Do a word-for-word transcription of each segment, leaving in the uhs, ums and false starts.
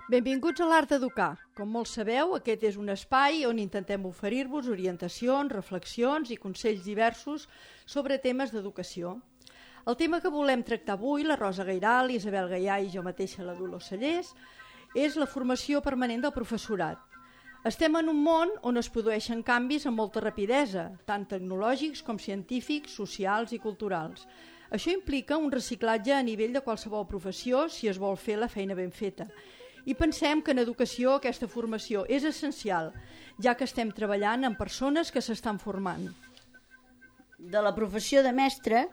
Benvinguts a l'Art d'Educar. Com molts sabeu, aquest és un espai on intentem oferir-vos orientacions, reflexions i consells diversos sobre temes d'educació. El tema que volem tractar avui, la Rosa Gairal, Isabel Gaià i jo mateixa, la Dolors Cellers, és la formació permanent del professorat. Estem en un món on es produeixen canvis amb molta rapidesa, tant tecnològics com científics, socials i culturals. Això implica un reciclatge a nivell de qualsevol professió si es vol fer la feina ben feta. I pensem que en educació aquesta formació és essencial, ja que estem treballant amb persones que s'estan formant. De la professió de mestre,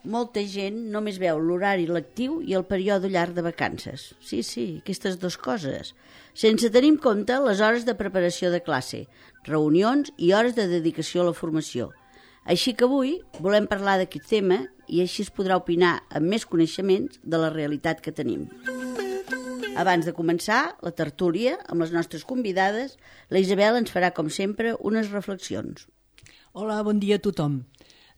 molta gent només veu l'horari lectiu i el període llarg de vacances. Sí, sí, aquestes dues coses. Sense tenir en compte les hores de preparació de classe, reunions i hores de dedicació a la formació. Així que avui volem parlar d'aquest tema i així es podrà opinar amb més coneixements de la realitat que tenim. Abans de començar la tertúlia amb les nostres convidades, la Isabel ens farà, com sempre, unes reflexions. Hola, bon dia a tothom.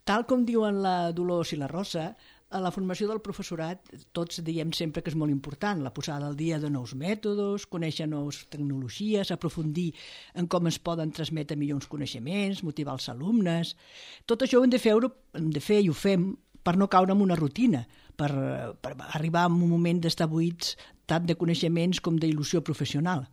Tal com diuen la Dolors i la Rosa, a la formació del professorat tots diem sempre que és molt important la posada al dia de nous mètodes, conèixer noves tecnologies, aprofundir en com es poden transmetre millors coneixements, motivar els alumnes. Tot això ho hem de fer, hem de fer i ho fem per no caure en una rutina, per, per arribar a un moment d'estar buits tant de coneixements com d'il·lusió professional.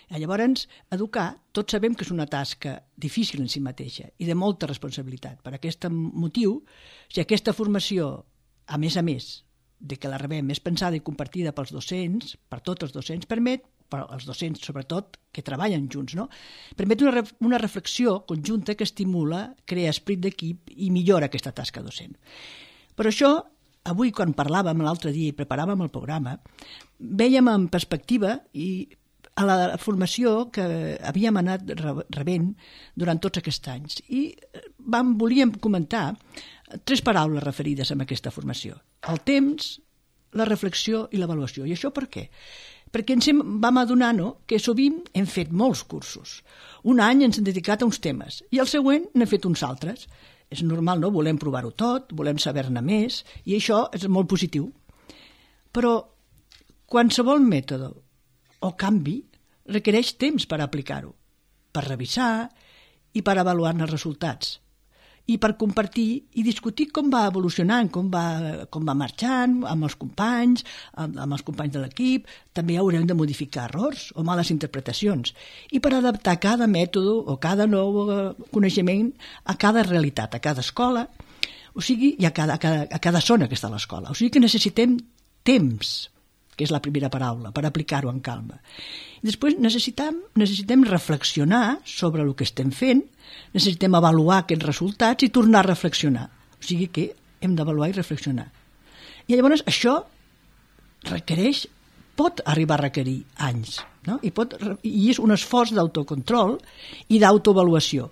Llavors, educar, tots sabem que és una tasca difícil en si mateixa i de molta responsabilitat. Per aquest motiu, si aquesta formació, a més a més de que la rebem, és pensada i compartida pels docents, per tots els docents, permet, per als docents sobretot, que treballen junts, no? Permet una, una reflexió conjunta que estimula, crea esperit d'equip i millora aquesta tasca docent. Per això, avui, quan parlàvem l'altre dia i preparàvem el programa, vèiem en perspectiva i a la formació que havíem anat rebent durant tots aquests anys. I vam, volíem comentar tres paraules referides a aquesta formació. El temps, la reflexió i l'avaluació. I això per què? Perquè ens hem, vam adonar no, que sovint hem fet molts cursos. Un any ens hem dedicat a uns temes i el següent n'hem fet uns altres. És normal, no? Volem provar-ho tot, volem saber-ne més, i això és molt positiu. Però qualsevol mètode o canvi requereix temps per aplicar-ho, per revisar i per avaluar-ne els resultats, i per compartir i discutir com va evolucionant, com va, com va marxant amb els companys, amb, amb els companys de l'equip. També haurem de modificar errors o males interpretacions i per adaptar cada mètode o cada nou coneixement a cada realitat, a cada escola, o sigui, i a cada, a cada, a cada zona que està a l'escola. O sigui que necessitem temps, que és la primera paraula, per aplicar-ho amb calma. I després necessitem, necessitem reflexionar sobre el que estem fent, necessitem avaluar aquests resultats i tornar a reflexionar. O sigui que hem d'avaluar i reflexionar. I llavors això requereix, pot arribar a requerir anys, no? I, pot, i és un esforç d'autocontrol i d'autoavaluació,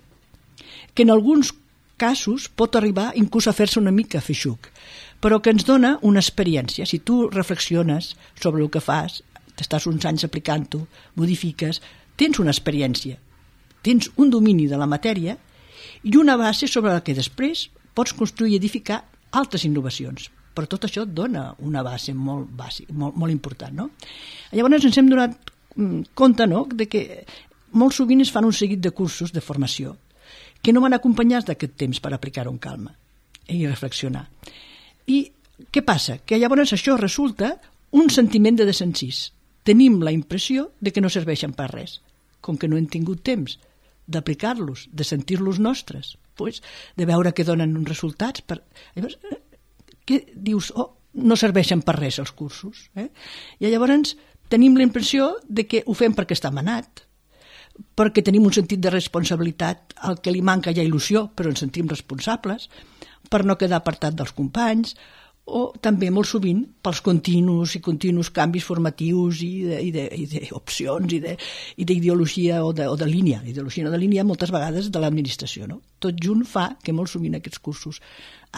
que en alguns casos pot arribar inclús a fer-se una mica feixuc, però que ens dona una experiència. Si tu reflexiones sobre el que fas, t'estàs uns anys aplicant-ho, modifiques, tens una experiència, tens un domini de la matèria i una base sobre la que després pots construir i edificar altres innovacions. Però tot això et dona una base molt bàsica, molt, molt important, no? Llavors ens hem donat compte, no?, de que molt sovint es fan un seguit de cursos de formació que no van acompanyats d'aquest temps per aplicar-ho amb calma i reflexionar. I què passa? Que llavors això resulta un sentiment de desencís. Tenim la impressió de que no serveixen per res, com que no hem tingut temps d'aplicar-los, de sentir-los nostres, pues, de veure que donen uns resultats. Per... Llavors, què dius? Oh, no serveixen per res els cursos. Eh? I llavors tenim la impressió de que ho fem perquè està manat, perquè tenim un sentit de responsabilitat al que li manca ja il·lusió, però ens sentim responsables, per no quedar apartat dels companys, o també molt sovint pels continus i continus canvis formatius i d'opcions i d'ideologia o, de, o de línia, ideologia no de línia moltes vegades de l'administració. No? Tot junt fa que molt sovint aquests cursos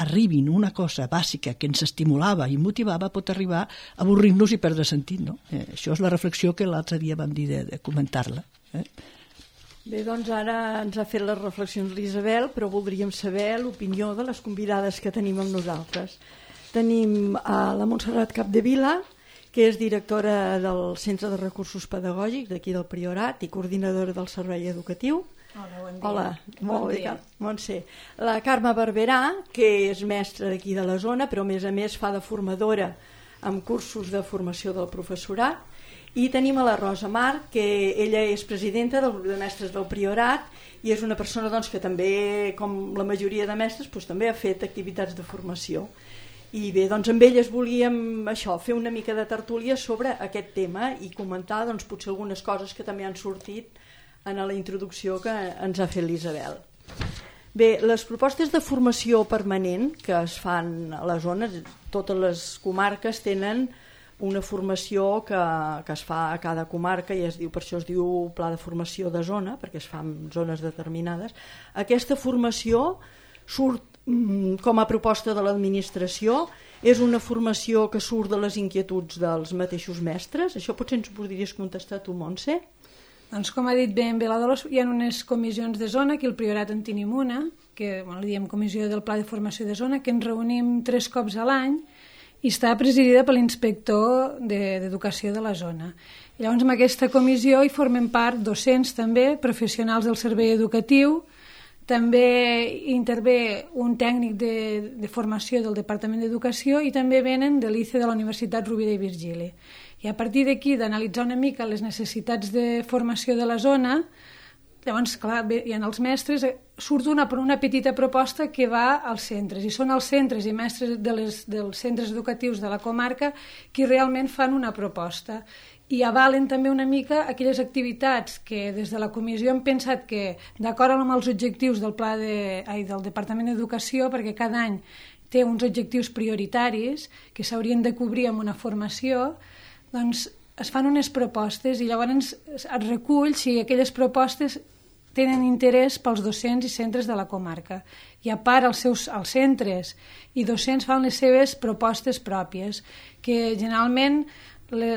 arribin una cosa bàsica que ens estimulava i motivava, pot arribar a avorrir-nos i perdre sentit. No? Eh, això és la reflexió que l'altre dia vam dir de, de comentar-la. Eh? Bé, doncs ara ens ha fet les reflexions l'Isabel, però voldríem saber l'opinió de les convidades que tenim amb nosaltres. Tenim a la Montserrat Capdevila que és directora del Centre de Recursos Pedagògics d'aquí del Priorat i coordinadora del servei educatiu. Hola, bon dia. Hola, molt bon bé, dia. Montse. La Carme Barberà, que és mestra d'aquí de la zona, però a més a més fa de formadora amb cursos de formació del professorat. I tenim a la Rosa Mar, que ella és presidenta del grup de mestres del Priorat i és una persona doncs, que també, com la majoria de mestres, doncs, també ha fet activitats de formació. I bé, doncs amb elles volíem això, fer una mica de tertúlia sobre aquest tema i comentar doncs, potser algunes coses que també han sortit en la introducció que ens ha fet l'Isabel. Bé, les propostes de formació permanent que es fan a les zones, totes les comarques tenen una formació que, que es fa a cada comarca i es diu, per això es diu pla de formació de zona, perquè es fa en zones determinades. Aquesta formació surt mm, com a proposta de l'administració, és una formació que surt de les inquietuds dels mateixos mestres. Això potser ens podries contestar tu, Montse? Doncs com ha dit ben bé la Dolors, hi ha unes comissions de zona, que el Priorat en tenim una, que bueno, li diem comissió del pla de formació de zona, que ens reunim tres cops a l'any, i està presidida per l'inspector d'Educació de la zona. I llavors, en aquesta comissió hi formen part docents també, professionals del servei educatiu, també intervé un tècnic de, de formació del Departament d'Educació i també venen de l'I C E de la Universitat Rovira i Virgili. I a partir d'aquí, d'analitzar una mica les necessitats de formació de la zona, llavors, clar, hi ha els mestres, surt una, una petita proposta que va als centres, i són els centres i mestres de les, dels centres educatius de la comarca qui realment fan una proposta i avalen també una mica aquelles activitats que des de la comissió hem pensat que, d'acord amb els objectius del pla de, ai, del Departament d'Educació, perquè cada any té uns objectius prioritaris que s'haurien de cobrir amb una formació, doncs es fan unes propostes i llavors es recull si aquelles propostes tenen interès pels docents i centres de la comarca. I a part els, seus, els centres i docents fan les seves propostes pròpies, que generalment, le,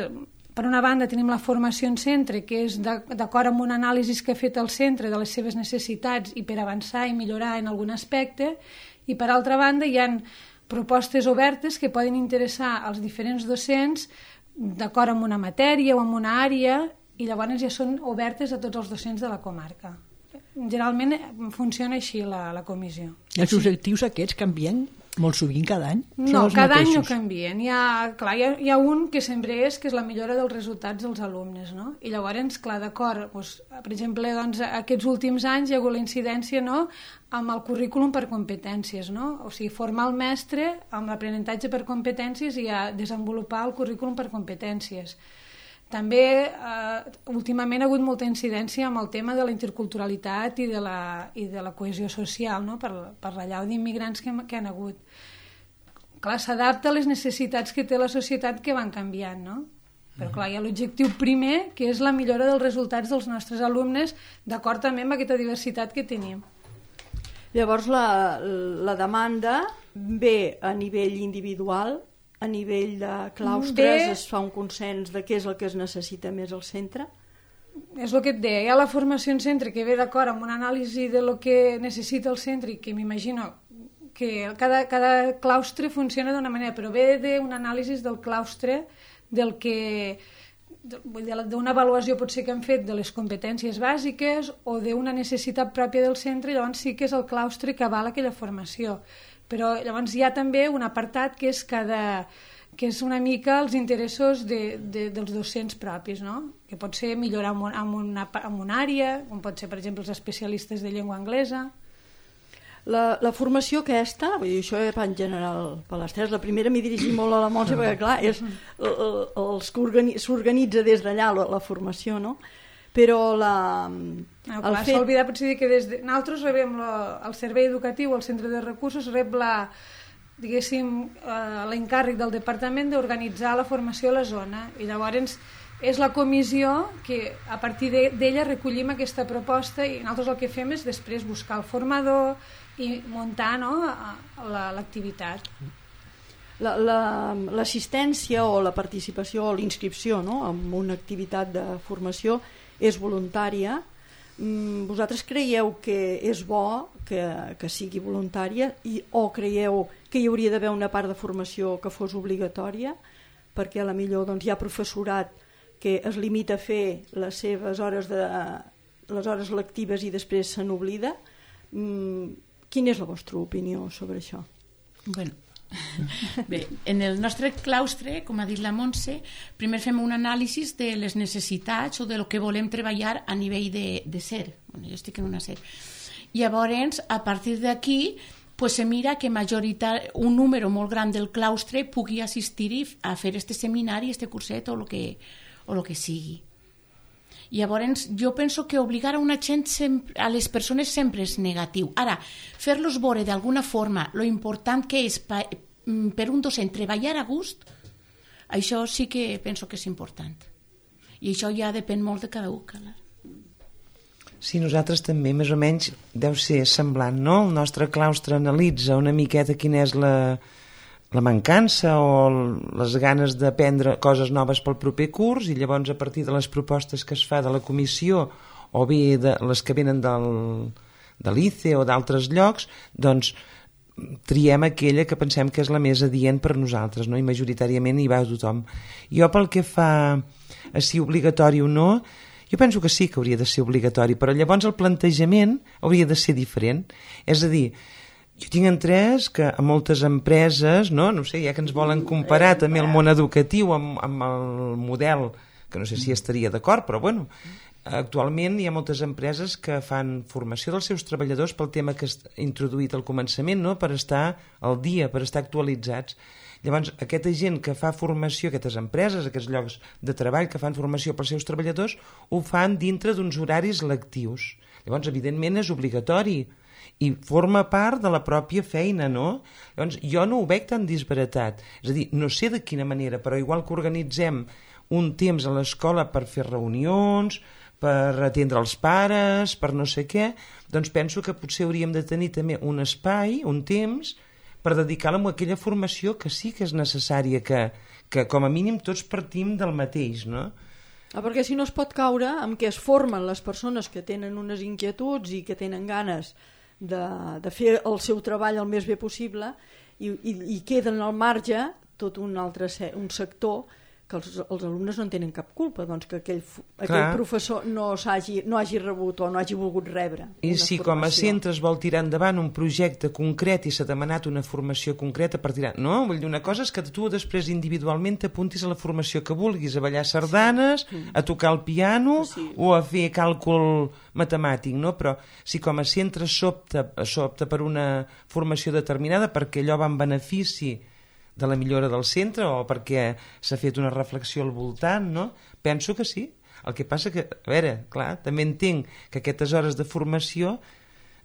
per una banda tenim la formació en centre, que és d'acord amb un anàlisi que ha fet el centre de les seves necessitats i per avançar i millorar en algun aspecte, i per altra banda hi ha propostes obertes que poden interessar als diferents docents d'acord amb una matèria o amb una àrea, i llavors ja són obertes a tots els docents de la comarca. Generalment funciona així la, la comissió. I els objectius aquests canvien molt sovint cada any? No, cada any no canvien. Hi ha, clar, hi ha, hi ha un que sempre és, que és la millora dels resultats dels alumnes, no? I llavors, clar, d'acord, doncs, per exemple, doncs, aquests últims anys hi ha hagut la incidència, no?, amb el currículum per competències, no? O sigui, formar el mestre amb l'aprenentatge per competències i a desenvolupar el currículum per competències. També, eh, últimament ha hagut molta incidència amb el tema de la interculturalitat i de la, i de la cohesió social, no?, per, per la llau d'immigrants que, que han hagut. Clar, s'adapta a les necessitats que té la societat que van canviant, no? Però clar, hi ha l'objectiu primer, que és la millora dels resultats dels nostres alumnes, d'acord també amb aquesta diversitat que tenim. Llavors, la, la demanda ve a nivell individual, a nivell de claustres, Bé, es fa un consens de què és el que es necessita més al centre? És el que et deia, hi ha la formació en centre que ve d'acord amb una anàlisi de lo que necessita el centre i que m'imagino que cada, cada claustre funciona d'una manera, però ve d'una anàlisi del claustre, del que d'una avaluació potser que han fet de les competències bàsiques o d'una necessitat pròpia del centre, llavors sí que és el claustre que avala aquella formació. Però llavors hi ha també un apartat que és, cada, que és una mica els interessos de, de, dels docents propis, no? Que pot ser millorar en, un, en, una, en una àrea, com pot ser, per exemple, els especialistes de llengua anglesa. La, la formació aquesta, vull dir, això en general per les tres, la primera m'hi dirigim molt a la Montse perquè clar, és s'organitza des d'allà la, la formació, no? Però la... No, clar, s'ha fet... oblidat potser dir que des de... nosaltres rebem la, el servei educatiu, el centre de recursos, rep la, diguéssim, eh, l'encàrrec del departament d'organitzar la formació a la zona, i llavors és la comissió que a partir d'ella recollim aquesta proposta i nosaltres el que fem és després buscar el formador i muntar, no?, l'activitat. L'assistència o la participació o l'inscripció, no?, en una activitat de formació és voluntària. Vosaltres creieu que és bo que, que sigui voluntària i, o creieu que hi hauria d'haver una part de formació que fos obligatòria? perquè a la millor doncs, hi ha professorat que es limita a fer les seves hores, de, les hores lectives i després se n'oblida. Mm, quina és la vostra opinió sobre això? Bueno, bé, en el nostre claustre, com ha dit la Montse, primer fem un anàlisi de les necessitats o de lo que volem treballar a nivell de, de ser. Bueno, jo estic en una ser. Llavors, a partir d'aquí, pues se mira que majoritar, un número molt gran del claustre pugui assistir a fer este seminari, este curset o el que, o lo que sigui. Llavors, jo penso que obligar a una gent sempre, a les persones sempre és negatiu. Ara, fer-los veure d'alguna forma lo important que és pa, per un docent treballar a gust, això sí que penso que és important. I això ja depèn molt de cada un. Clar. Sí, nosaltres també, més o menys, deu ser semblant, no? El nostre claustre analitza una miqueta quina és la, la mancança o les ganes d'aprendre coses noves pel proper curs, i llavors a partir de les propostes que es fa de la comissió o bé de les que venen del, de l'I C E o d'altres llocs, doncs triem aquella que pensem que és la més adient per nosaltres, no? I majoritàriament hi va tothom. Jo pel que fa a si obligatori o no, jo penso que sí que hauria de ser obligatori, però llavors el plantejament hauria de ser diferent. És a dir, jo tinc entès que a moltes empreses, no, no sé, ja que ens volen comparar també el món educatiu amb, amb el model, que no sé si estaria d'acord, però bueno, actualment hi ha moltes empreses que fan formació dels seus treballadors pel tema que has introduït al començament, no? Per estar al dia, per estar actualitzats. Llavors, aquesta gent que fa formació, aquestes empreses, aquests llocs de treball que fan formació pels seus treballadors, ho fan dintre d'uns horaris lectius. Llavors, evidentment, és obligatori i forma part de la pròpia feina, no? Llavors, jo no ho veig tan disbaratat. És a dir, no sé de quina manera, però igual que organitzem un temps a l'escola per fer reunions, per atendre els pares, per no sé què, doncs penso que potser hauríem de tenir també un espai, un temps, per dedicar-la a aquella formació que sí que és necessària, que, que com a mínim tots partim del mateix, no? Ah, perquè si no es pot caure amb què es formen les persones que tenen unes inquietuds i que tenen ganes de, de fer el seu treball el més bé possible i, i, i queden al marge tot un altre un sector que els, els alumnes no en tenen cap culpa, doncs que aquell, aquell professor no, hagi, no hagi rebut o no hagi volgut rebre. I si formació. Com a centre es vol tirar endavant un projecte concret i s'ha demanat una formació concreta per tirar... No, vull dir, una cosa és que tu després individualment t'apuntis a la formació que vulguis, a ballar sardanes, sí. a tocar el piano sí. o a fer càlcul matemàtic, no? Però si com a centre s'opta, s'opta per una formació determinada perquè allò va en benefici de la millora del centre o perquè s'ha fet una reflexió al voltant, no? Penso que sí. El que passa que, a veure, clar, també entenc que aquestes hores de formació,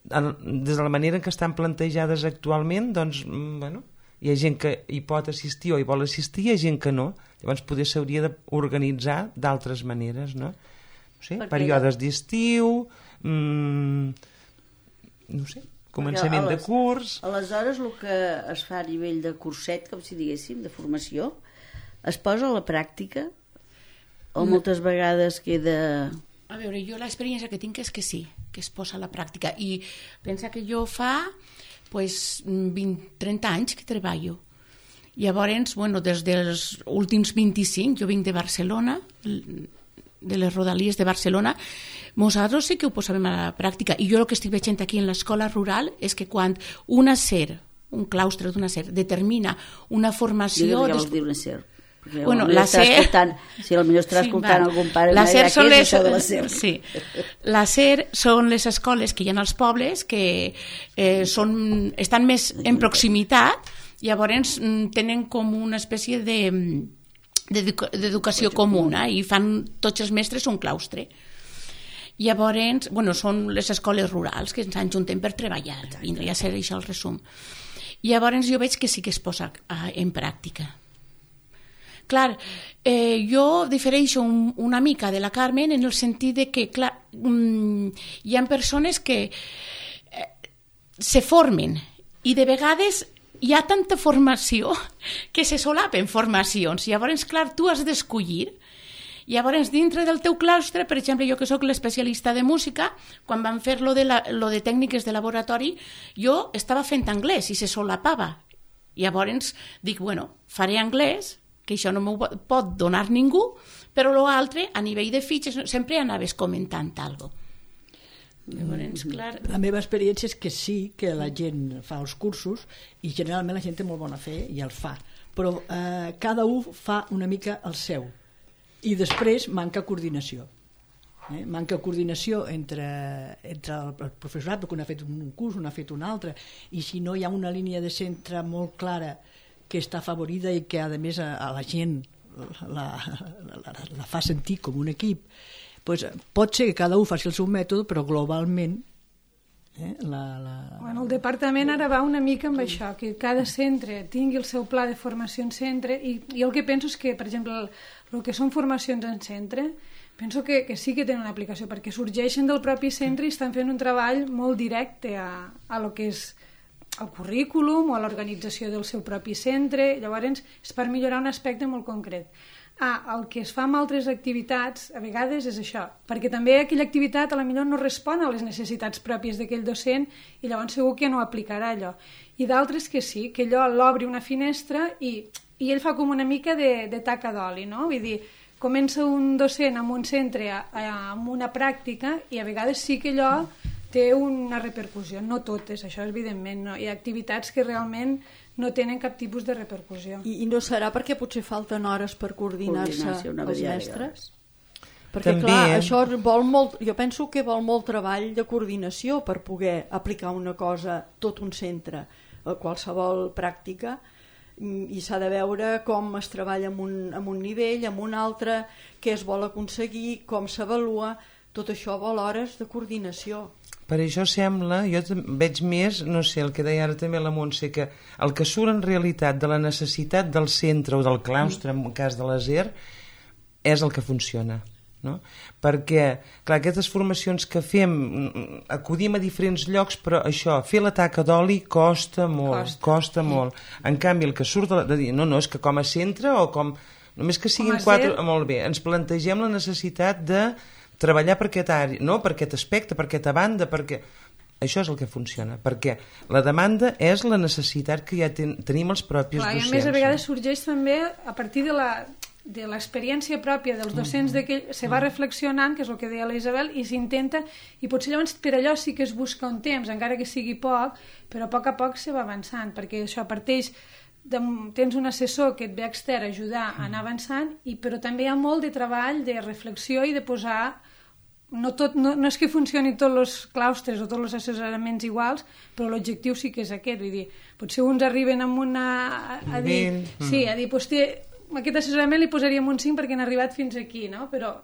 des de la manera en què estan plantejades actualment, doncs, bueno, hi ha gent que hi pot assistir o hi vol assistir, hi ha gent que no. Llavors potser s'hauria d'organitzar d'altres maneres, no? No sé, perquè... períodes d'estiu, mmm, no sé, començament les, de curs... Aleshores, el que es fa a nivell de curset, com si diguéssim, de formació, es posa a la pràctica o no. Moltes vegades queda... A veure, jo l'experiència que tinc és que sí, que es posa a la pràctica. I pensa que jo fa pues, vint, trenta anys que treballo. Llavors, bueno, des dels últims vint-i-cinc, jo vinc de Barcelona, de les rodalies de Barcelona, nosaltres sí que ho posàvem a la pràctica, i jo el que estic veient aquí en l'escola rural és que quan una SER, un claustre d'una SER, determina una formació... Jo diria que dir una SER. Bueno, la SER... Si potser estarà sí, escoltant va. Algun pare... La SER són les... de la SER. Sí. La SER són les escoles que hi ha als pobles que eh, són, estan més en proximitat, llavors tenen com una espècie de... d'educació comuna i fan tots els mestres un claustre. Llavors, bueno, són les escoles rurals que ens ajuntem per treballar. Vindria a ser això el resum. Llavors jo veig que sí que es posa en pràctica. Clar, eh, jo difereixo un, una mica de la Carmen en el sentit de que, clar, um, hi ha persones que eh, se formen i de vegades hi ha tanta formació que se solapen formacions. Llavors, clar, tu has d'escollir. Llavors, dintre del teu claustre, per exemple, jo que sóc l'especialista de música, quan vam fer lo de, la, lo de tècniques de laboratori, jo estava fent anglès i se solapava. Llavors dic, bueno, faré anglès que això no m'ho pot donar ningú, però l'altre, a nivell de fitxes, sempre anaves comentant alguna cosa. Llavors, clar... La meva experiència és que sí, que la gent fa els cursos i generalment la gent té molt bona fe i els fa, però eh, cada un fa una mica el seu i després manca coordinació. Eh? Manca coordinació entre, entre el professorat, perquè un ha fet un curs, un ha fet un altre, i si no hi ha una línia de centre molt clara que està afavorida i que a més a, a la gent la, la, la, la fa sentir com un equip, pues, pot ser que cada un faci el seu mètode, però globalment eh, la, la... Bueno, el departament ara va una mica amb això, que cada centre tingui el seu pla de formació en centre, i jo el que penso és que, per exemple, el, el que són formacions en centre, penso que, que sí que tenen una aplicació, perquè sorgeixen del propi centre i estan fent un treball molt directe a, a lo que és el currículum o a l'organització del seu propi centre, llavors és per millorar un aspecte molt concret. Ah, el que es fa amb altres activitats a vegades és això, perquè també aquella activitat a la millor no respon a les necessitats pròpies d'aquell docent i llavors segur que no aplicarà allò. I d'altres que sí, que allò l'obri una finestra i, i ell fa com una mica de, de taca d'oli, no? Vull dir, comença un docent en un centre a, a, amb una pràctica i a vegades sí que allò té una repercussió, no totes, això evidentment, no? Hi ha activitats que realment no tenen cap tipus de repercussió. I, i no serà perquè potser falten hores per coordinar-se els mestres? Perquè També, clar, eh? això vol molt, jo penso que vol molt treball de coordinació per poder aplicar una cosa, tot un centre, a qualsevol pràctica, i s'ha de veure com es treballa en un, en un nivell, en un altre, què es vol aconseguir, com s'avalua, tot això vol hores de coordinació. Per això sembla, jo veig més, no sé, el que deia ara també la Montse, que el que surt en realitat de la necessitat del centre o del claustre, en el cas de l'A S E R, és el que funciona. No? Perquè, clar, aquestes formacions que fem, acudim a diferents llocs, però això, fer la taca d'oli costa molt, costa, costa sí. molt. En canvi, el que surt de, de dir, no, no, és que com a centre o com... Només que siguin quatre... Molt bé, ens plantegem la necessitat de treballar per aquest àrea, no? Per aquest aspecte, per aquesta banda, perquè això és el que funciona, perquè la demanda és la necessitat que ja ten, tenim els propis Clar, docents. I a més a vegades sorgeix també a partir de la de l'experiència pròpia dels docents mm -hmm. se va reflexionant, que és el que deia la Isabel, i s'intenta, i potser llavors per allò sí que es busca un temps, encara que sigui poc, però a poc a poc se va avançant, perquè això parteix de, tens un assessor que et ve extern a ajudar a anar avançant, i, però també hi ha molt de treball, de reflexió i de posar... No, tot, no, no és que funcionin tots els claustres o tots els assessoraments iguals, però l'objectiu sí que és aquest, vull dir, potser uns arriben amb una... A, a dir, mm. sí, a dir, doncs té, aquest assessorament li posaríem un cinc perquè han arribat fins aquí, no? Però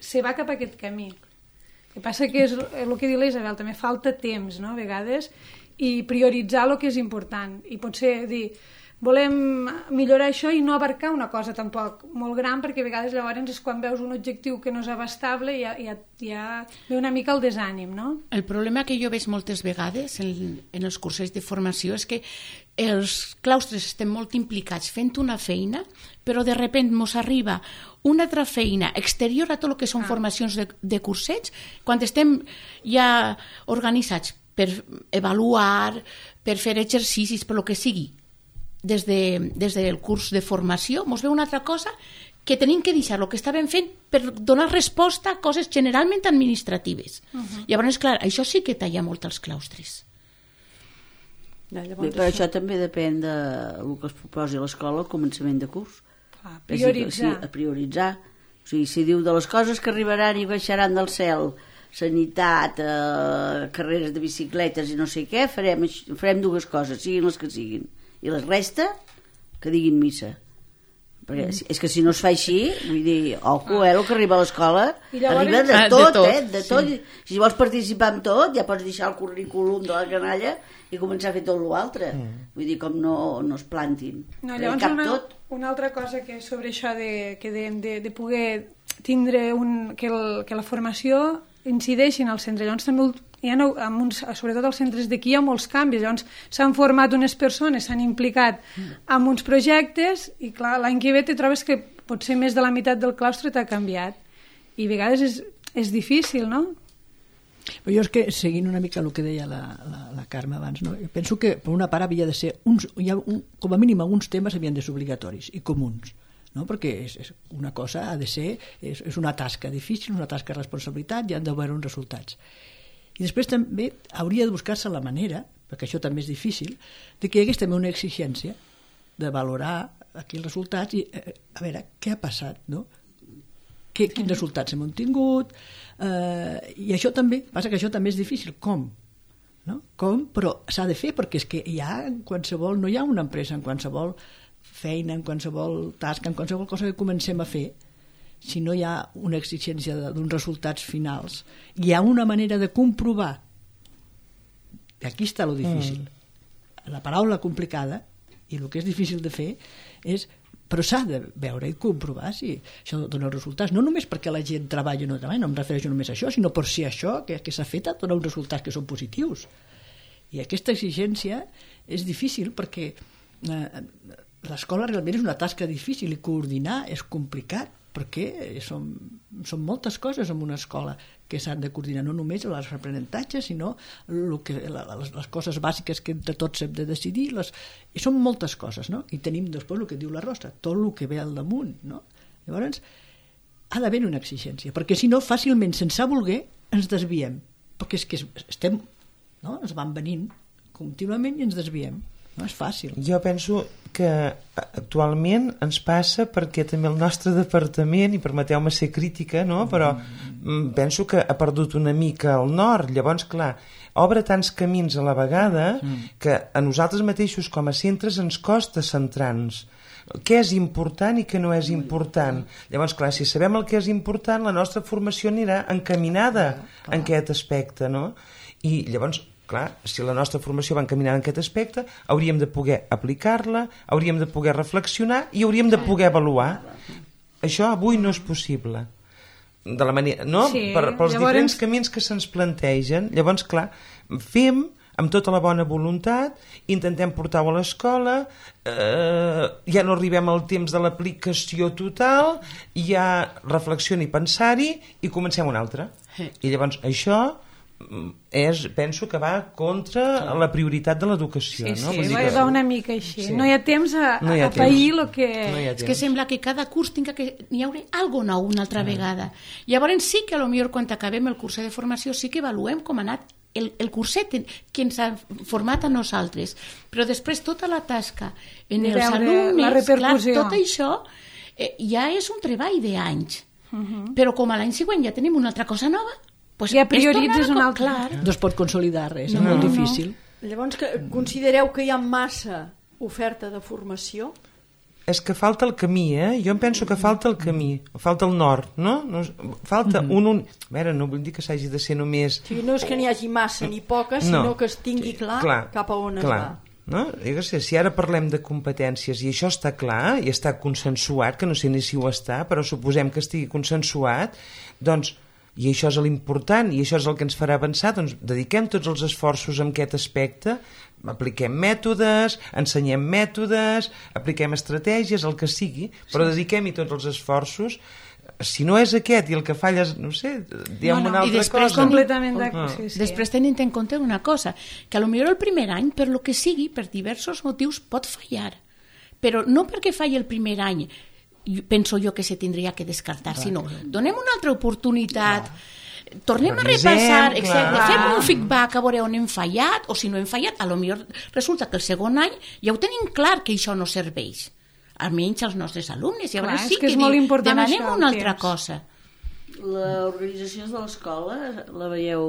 se va cap a aquest camí. El que passa que és el que diu la Isabel, també falta temps, no?, a vegades, i prioritzar el que és important, i potser dir... volem millorar això i no abarcar una cosa tampoc molt gran, perquè a vegades llavors és quan veus un objectiu que no és abastable i ja, ja, ja ve una mica el desànim, no? El problema que jo veig moltes vegades en, en els cursos de formació és que els claustres estem molt implicats fent una feina, però de repent mos arriba una altra feina exterior a tot el que són ah. formacions de, de cursets, quan estem ja organitzats per avaluar, per fer exercicis, per lo que sigui, des, de, des del curs de formació, mos ve una altra cosa que tenim que deixar el que estàvem fent per donar resposta a coses generalment administratives. Uh-huh. Llavors, clar, això sí que talla molt els claustres. Ja, Bé, però això... això també depèn del que es proposi a l'escola al començament de curs. A prioritzar. Sí, a prioritzar. O sigui, si diu de les coses que arribaran i baixaran del cel, sanitat, eh, carreres de bicicletes i no sé què, farem, farem dues coses, siguin les que siguin. I la resta, que diguin missa. Perquè mm. és que si no es fa així, vull dir, ojo, eh, el que arriba a l'escola arriba de ah, tot, de tot, eh, de tot. sí. Si vols participar en tot, ja pots deixar el currículum de la canalla i començar a fer tot l'altre. Mm. Vull dir, com no, no es plantin. No, llavors cap una, tot. Una altra cosa que sobre això de, que de, de, de poder tindre un, que, el, que la formació incideixi en el centre. Llavors també hi ha, amb uns, sobretot als centres d'aquí hi ha molts canvis. Llavors s'han format unes persones, s'han implicat en uns projectes i clar, l'any que ve te trobes que potser més de la meitat del claustre t'ha canviat i a vegades és, és difícil, no? Però jo és que, seguint una mica el que deia la, la, la Carme abans, no? Jo penso que per una part havia de ser uns, hi ha un, com a mínim alguns temes havien de ser obligatoris i comuns, no? Perquè és, és una cosa ha de ser, és, és una tasca difícil, una tasca de responsabilitat, i han d'haver uns resultats. I després també hauria de buscar-se la manera, perquè això també és difícil, de que hi hagués també una exigència de valorar aquí els resultats i eh, a veure què ha passat, no? Que, quins resultats hem obtingut, eh, i això també, passa que això també és difícil, com? No? Com? Però s'ha de fer, perquè és que hi ha en qualsevol, no hi ha una empresa en qualsevol feina, en qualsevol tasca, en qualsevol cosa que comencem a fer, si no hi ha una exigència d'uns resultats finals. Hi ha una manera de comprovar, i aquí està lo difícil. Mm. La paraula complicada, i el que és difícil de fer, és però s'ha de veure i comprovar si això dona resultats, no només perquè la gent treballa o no treballa, no em refereixo només a això, sinó per si això que, que s'ha fet dona uns resultats que són positius. I aquesta exigència és difícil perquè eh, l'escola realment és una tasca difícil i coordinar és complicat, perquè són, són moltes coses en una escola que s'han de coordinar, no només els aprenentatges, sinó el que, les, les coses bàsiques que entre tots hem de decidir, les, i són moltes coses, no? I tenim després el que diu la Rosa, tot el que ve al damunt, no? Llavors, ha d'haver una exigència, perquè si no, fàcilment, sense voler, ens desviem, perquè és que estem, no? Ens van venint contínuament i ens desviem. No és fàcil. Jo penso que actualment ens passa perquè també el nostre departament, i permeteu-me ser crítica, no? Però mm. penso que ha perdut una mica el nord. Llavors, clar, obre tants camins a la vegada mm. que a nosaltres mateixos com a centres ens costa centrar-nos. Què és important i què no és important. Llavors, clar, si sabem el que és important, la nostra formació anirà encaminada en aquest aspecte, no? I llavors, clar, si la nostra formació va encaminada en aquest aspecte, hauríem de poder aplicar-la, hauríem de poder reflexionar i hauríem de poder avaluar. Això avui no és possible. De la manera, no? Sí, per, pels llavors... diferents camins que se'ns plantegen. Llavors, clar, fem amb tota la bona voluntat, intentem portar-ho a l'escola, eh, ja no arribem al temps de l'aplicació total, ja reflexioni i pensar-hi i comencem una altra. I llavors això és, penso que va contra la prioritat de l'educació. Sí, no? sí, que... va una mica així. Sí. No hi ha temps a, no ha a pair el que... No és que sembla que cada curs tinga que hi haurà algo nou una altra ah. vegada. Llavors sí que a lo millor quan acabem el curset de formació sí que avaluem com ha anat el, el curset que ens ha format a nosaltres. Però després tota la tasca en els alumnes, clar, tot això eh, ja és un treball d'anys. Uh-huh. Però com a l'any següent ja tenim una altra cosa nova, pues ja prioritzes un altre. No es pot consolidar res, no, és molt no, difícil. No. Llavors, que, considereu que hi ha massa oferta de formació? És que falta el camí, eh? Jo em penso que falta el camí, falta el nord, no? no falta mm-hmm. un, un... A veure, no vull dir que s'hagi de ser només... Sí, no és que n'hi hagi massa ni poca, sinó no. que es tingui clar, clar cap a on clar. es va. No? Jo sé, si ara parlem de competències i això està clar i està consensuat, que no sé ni si ho està, però suposem que estigui consensuat, doncs, i això és l'important i això és el que ens farà avançar, doncs dediquem tots els esforços en aquest aspecte, apliquem mètodes, ensenyem mètodes, apliquem estratègies, el que sigui, però dediquem-hi tots els esforços. Si no és aquest i el que falla és, no sé, diem no, no. una altra I després cosa. Completament ah. sí, sí. Després tenint en compte una cosa, que a lo millor el primer any, per lo que sigui, per diversos motius, pot fallar. Però no perquè falli el primer any, penso jo que se tindria que descartar, sinó donem una altra oportunitat, clar. tornem Revisem, a repassar, etcètera. Fem un feedback a veure on hem fallat, o si no hem fallat, a lo millor resulta que el segon any ja ho tenim clar que això no serveix, almenys als nostres alumnes, i llavors sí que, que diu, demanem això, una altra temps. cosa. L'organització de l'escola la veieu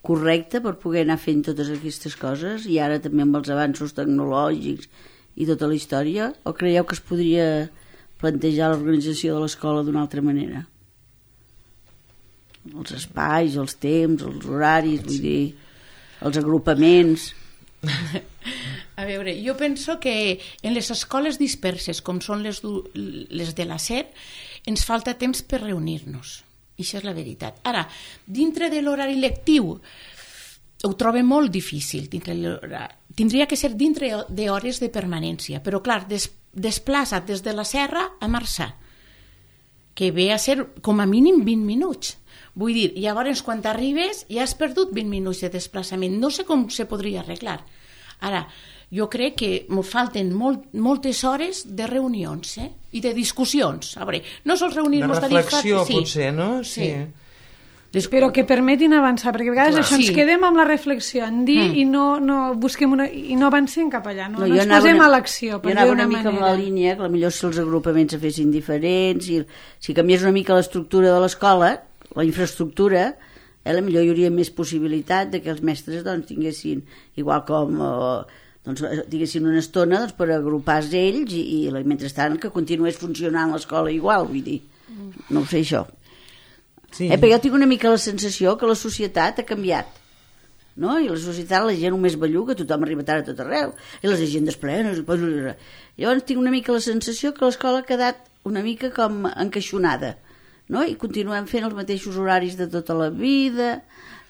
correcta per poder anar fent totes aquestes coses, i ara també amb els avanços tecnològics i tota la història, o creieu que es podria plantejar l'organització de l'escola d'una altra manera? Els espais, els temps, els horaris, vull dir, els agrupaments... A veure, jo penso que en les escoles disperses, com són les, les de la S E R, ens falta temps per reunir-nos. I això és la veritat. Ara, dintre de l'horari lectiu, ho trobo molt difícil. Tindria que ser dintre d'hores de permanència, però clar, des, desplaça't des de la Serra a Marçà, que ve a ser com a mínim vint minuts. Vull dir, llavors quan t'arribes ja has perdut vint minuts de desplaçament. No sé com se podria arreglar. Ara, jo crec que ens falten molt, moltes hores de reunions, eh? I de discussions. A veure, no sols reunir-nos... De reflexió, sí. potser, no? Sí. sí. Des... Però que permetin avançar, perquè a vegades Clar. això ens Sí. quedem amb la reflexió en dir Mm. i no, no busquem una, i no avancem cap allà, no, no, jo ens anava posem una- a l'acció, per Jo dir anava d'una una mica manera. amb la línia, que potser si els agrupaments se fessin diferents, i si canviés una mica l'estructura de l'escola, la infraestructura, eh, potser hi hauria més possibilitat de que els mestres doncs, tinguessin, igual com... Eh, doncs, diguessin una estona doncs, per agrupar-se ells i, i mentrestant que continués funcionant l'escola igual, vull dir, no ho sé això. Sí. Eh, però jo tinc una mica la sensació que la societat ha canviat, no? I la societat, la gent només belluga, tothom arriba tard a tot arreu, i les agendes plenes... Llavors tinc una mica la sensació que l'escola ha quedat una mica com encaixonada, no? I continuem fent els mateixos horaris de tota la vida,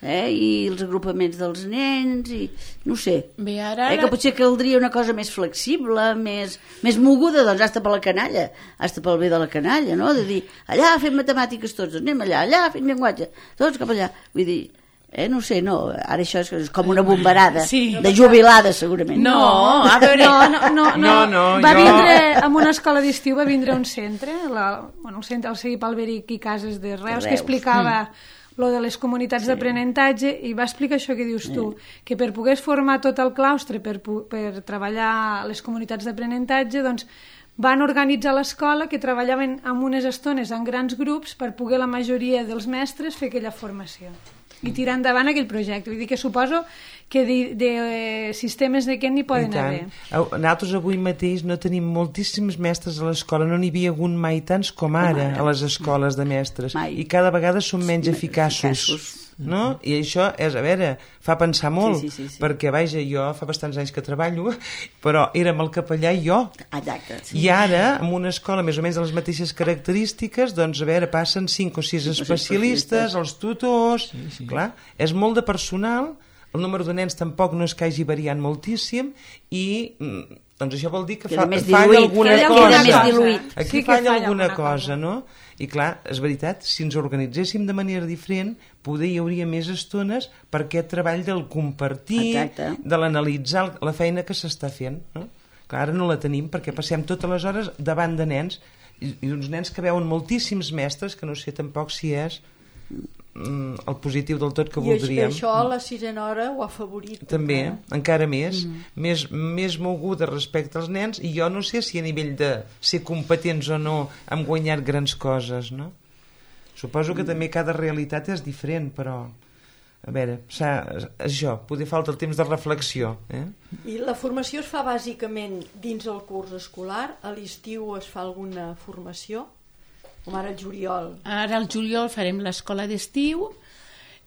eh? I els agrupaments dels nens, i no sé. Bé, ara... Eh, que potser caldria una cosa més flexible, més, més moguda, doncs hasta per la canalla, hasta pel bé de la canalla, no? De dir, allà fem matemàtiques tots, anem allà, allà fem llenguatge, tots cap allà. Vull dir, eh, no sé, no, ara això és, és com una bombarada, Sí. de jubilada segurament. No, a veure... No, no, no, no. No, no, va jo- vindre, en una escola d'estiu va vindre un centre, la, bueno, el centre, el Segui Palberic i Cases de Reus, Reus. que explicava lo de les comunitats sí. d'aprenentatge i va explicar això que dius tu, que per poder formar tot el claustre per, pu- per treballar les comunitats d'aprenentatge, doncs van organitzar l'escola que treballaven en unes estones en grans grups per poder la majoria dels mestres fer aquella formació i tirar endavant aquell projecte. Vull dir que suposo que de, de eh, sistemes d'aquest n'hi poden haver. Au, nosaltres avui mateix no tenim moltíssims mestres a l'escola, no n'hi havia hagut mai tants com ara, ara. a les escoles de mestres, Mai. i cada vegada són menys Sí, eficaços. eficaços. No? I això és, a veure, fa pensar molt, Sí, sí, sí, sí. perquè, vaja, jo fa bastants anys que treballo, però érem el capellà i jo. Exacte. I ara, en una escola més o menys de les mateixes característiques, doncs, a veure, passen cinc o sis especialistes, els tutors... Sí, sí. Clar, és molt de personal, el número de nens tampoc no és que hagi variat moltíssim i mm, doncs això vol dir que Queda fa, més falla diluït, alguna queda cosa. més diluït. Aquí Sí que falla falla alguna alguna cosa, cosa. no? I clar, és veritat, si ens organitzéssim de manera diferent, poder hi hauria més estones per aquest treball del compartir, Exacte. de l'analitzar la feina que s'està fent, no? Clar, ara no la tenim perquè passem totes les hores davant de nens i, i uns nens que veuen moltíssims mestres, que no sé tampoc si és mm, el positiu del tot que I voldríem. això a la sisena hora ho ha favorit. També, encara. encara més, mm. més, més moguda respecte als nens, i jo no sé si a nivell de ser competents o no hem guanyat grans coses, no? Suposo que mm. també cada realitat és diferent, però a veure, això, poder falta el temps de reflexió, eh? I la formació es fa bàsicament dins el curs escolar, a l'estiu es fa alguna formació, com ara el juliol. Ara al juliol farem l'escola d'estiu.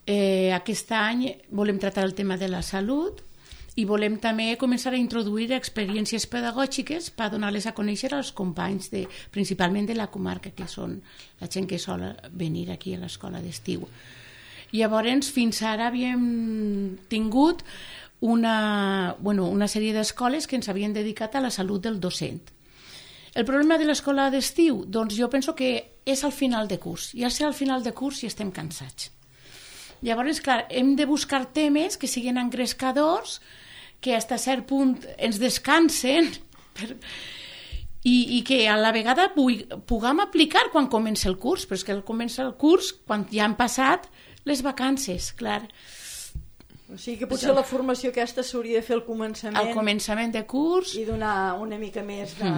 Eh, aquest any volem tractar el tema de la salut i volem també començar a introduir experiències pedagògiques per donar-les a conèixer als companys, de, principalment de la comarca, que són la gent que sol venir aquí a l'escola d'estiu. Llavors, fins ara havíem tingut una, bueno, una sèrie d'escoles que ens havien dedicat a la salut del docent. El problema de l'escola d'estiu, doncs jo penso que és al final de curs. Ja sé al final de curs i estem cansats. Llavors, clar, hem de buscar temes que siguin engrescadors, que fins a cert punt ens descansen per... I, i que a la vegada puguem aplicar quan comença el curs, però és que comença el curs quan ja han passat les vacances, clar. O sigui que potser la formació aquesta s'hauria de fer al començament, Al començament de curs... i donar una mica més de,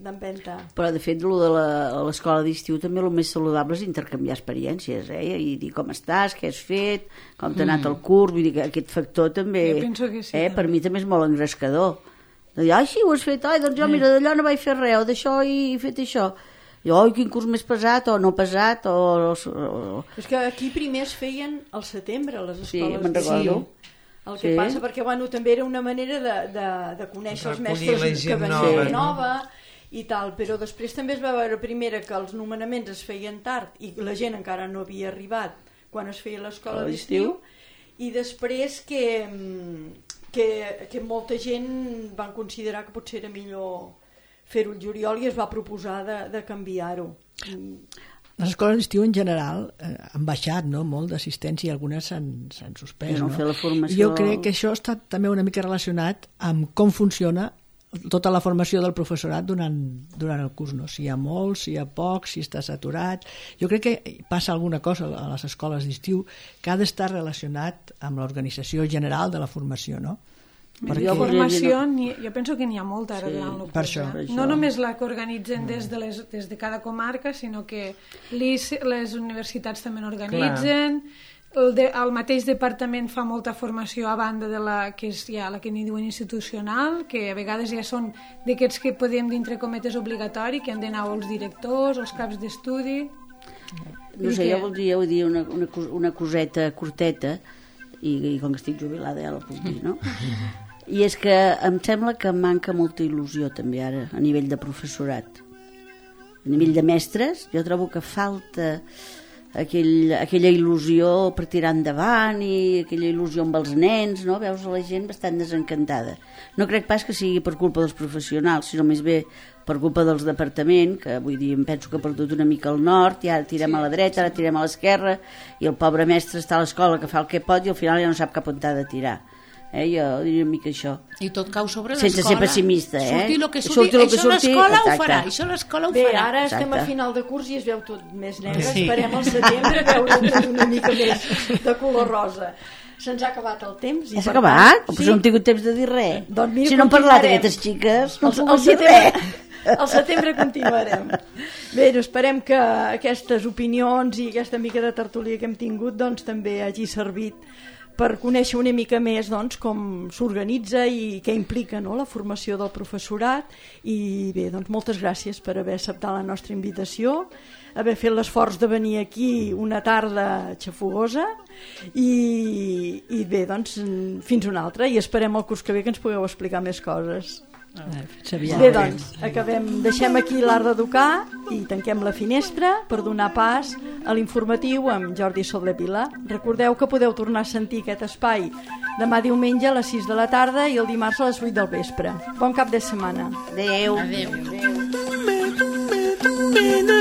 d'empenta. Però, de fet, lo de la- a l'escola d'estiu també el més saludable és intercanviar experiències, eh? I dir com estàs, què has fet, com t'ha anat el curs, vull dir que aquest factor també, Jo penso que sí, eh? també. Per mi també és molt engrescador. De dir, ai, sí, ho has fet, ai, doncs jo, mira, d'allò no vaig fer res, o d'això he fet això. I, oi, quin curs més pesat, o no pesat, o... o... És que aquí primer es feien al setembre, a les Sí, escoles me'n d'estiu. recordo. El que Sí. passa, perquè bueno, també era una manera de, de, de conèixer els Recollir mestres la que gent venien nova, de no? nova i tal, però després també es va veure primera que els nomenaments es feien tard i la gent encara no havia arribat quan es feia l'escola A d'estiu, l'estiu. i després que, que, que molta gent van considerar que potser era millor fer-ho el juliol i es va proposar de, de canviar-ho. Les escoles d'estiu en general eh, han baixat, no?, molt d'assistència i algunes s'han suspès. No, no? fer la formació... Jo crec que això està també una mica relacionat amb com funciona tota la formació del professorat durant, durant el curs, no? Si hi ha molt, si hi ha poc, si està saturat. Jo crec que passa alguna cosa a les escoles d'estiu que ha d'estar relacionat amb l'organització general de la formació, no? Perquè... formació, ni, jo penso que n'hi ha molta ara sí, durant el curs. Per això, eh? No només la que organitzen des de, les, des de cada comarca, sinó que les universitats també n'organitzen. El, de, el mateix departament fa molta formació a banda de la que és ja la que n'hi diuen institucional, que a vegades ja són d'aquests que podem dintre cometes obligatori, que han d'anar els directors, els caps d'estudi. No sé, que... jo voldria dir una, una, una coseta curteta, i, i com que estic jubilada ja la puc dir, no? I és que em sembla que manca molta il·lusió també ara a nivell de professorat, a nivell de mestres. Jo trobo que falta aquell, aquella il·lusió per tirar endavant i aquella il·lusió amb els nens, no? Veus la gent bastant desencantada. No crec pas que sigui per culpa dels professionals, sinó més bé per culpa dels departaments, que vull dir, em penso que ha perdut una mica al nord, i ara tirem a la dreta, ara tirem a l'esquerra, i el pobre mestre està a l'escola que fa el que pot i al final ja no sap cap on t'ha de tirar. Eh, jo diria una mica això. I tot cau sobre l'escola. Sense ser pessimista, eh? Surti el que surti, surti, això l'escola ho farà, això l'escola ho Bé, farà. ara Exacte. estem a final de curs i es veu tot més negre. Sí. Esperem al setembre veure tot una mica més de color rosa. Se'ns ha acabat el temps. Ja s'ha acabat? Tant, sí? Però no hem tingut temps de dir res. Doncs mira, si no hem parlat d'aquestes xiques, no el, hem el dir setembre, res. Al setembre continuarem. Bé, doncs esperem que aquestes opinions i aquesta mica de tertúlia que hem tingut doncs també hagi servit per conèixer una mica més doncs, com s'organitza i què implica, no?, la formació del professorat. I bé, doncs moltes gràcies per haver acceptat la nostra invitació, haver fet l'esforç de venir aquí una tarda xafogosa i, i bé, doncs fins una altra, i esperem el curs que ve que ens pugueu explicar més coses. Bé, doncs, acabem, deixem aquí l'Art d'Educar i tanquem la finestra per donar pas a l'informatiu amb Jordi Soler-Vila. Recordeu que podeu tornar a sentir aquest espai demà diumenge a les sis de la tarda i el dimarts a les vuit del vespre. Bon cap de setmana. Adéu. Adéu. Adéu.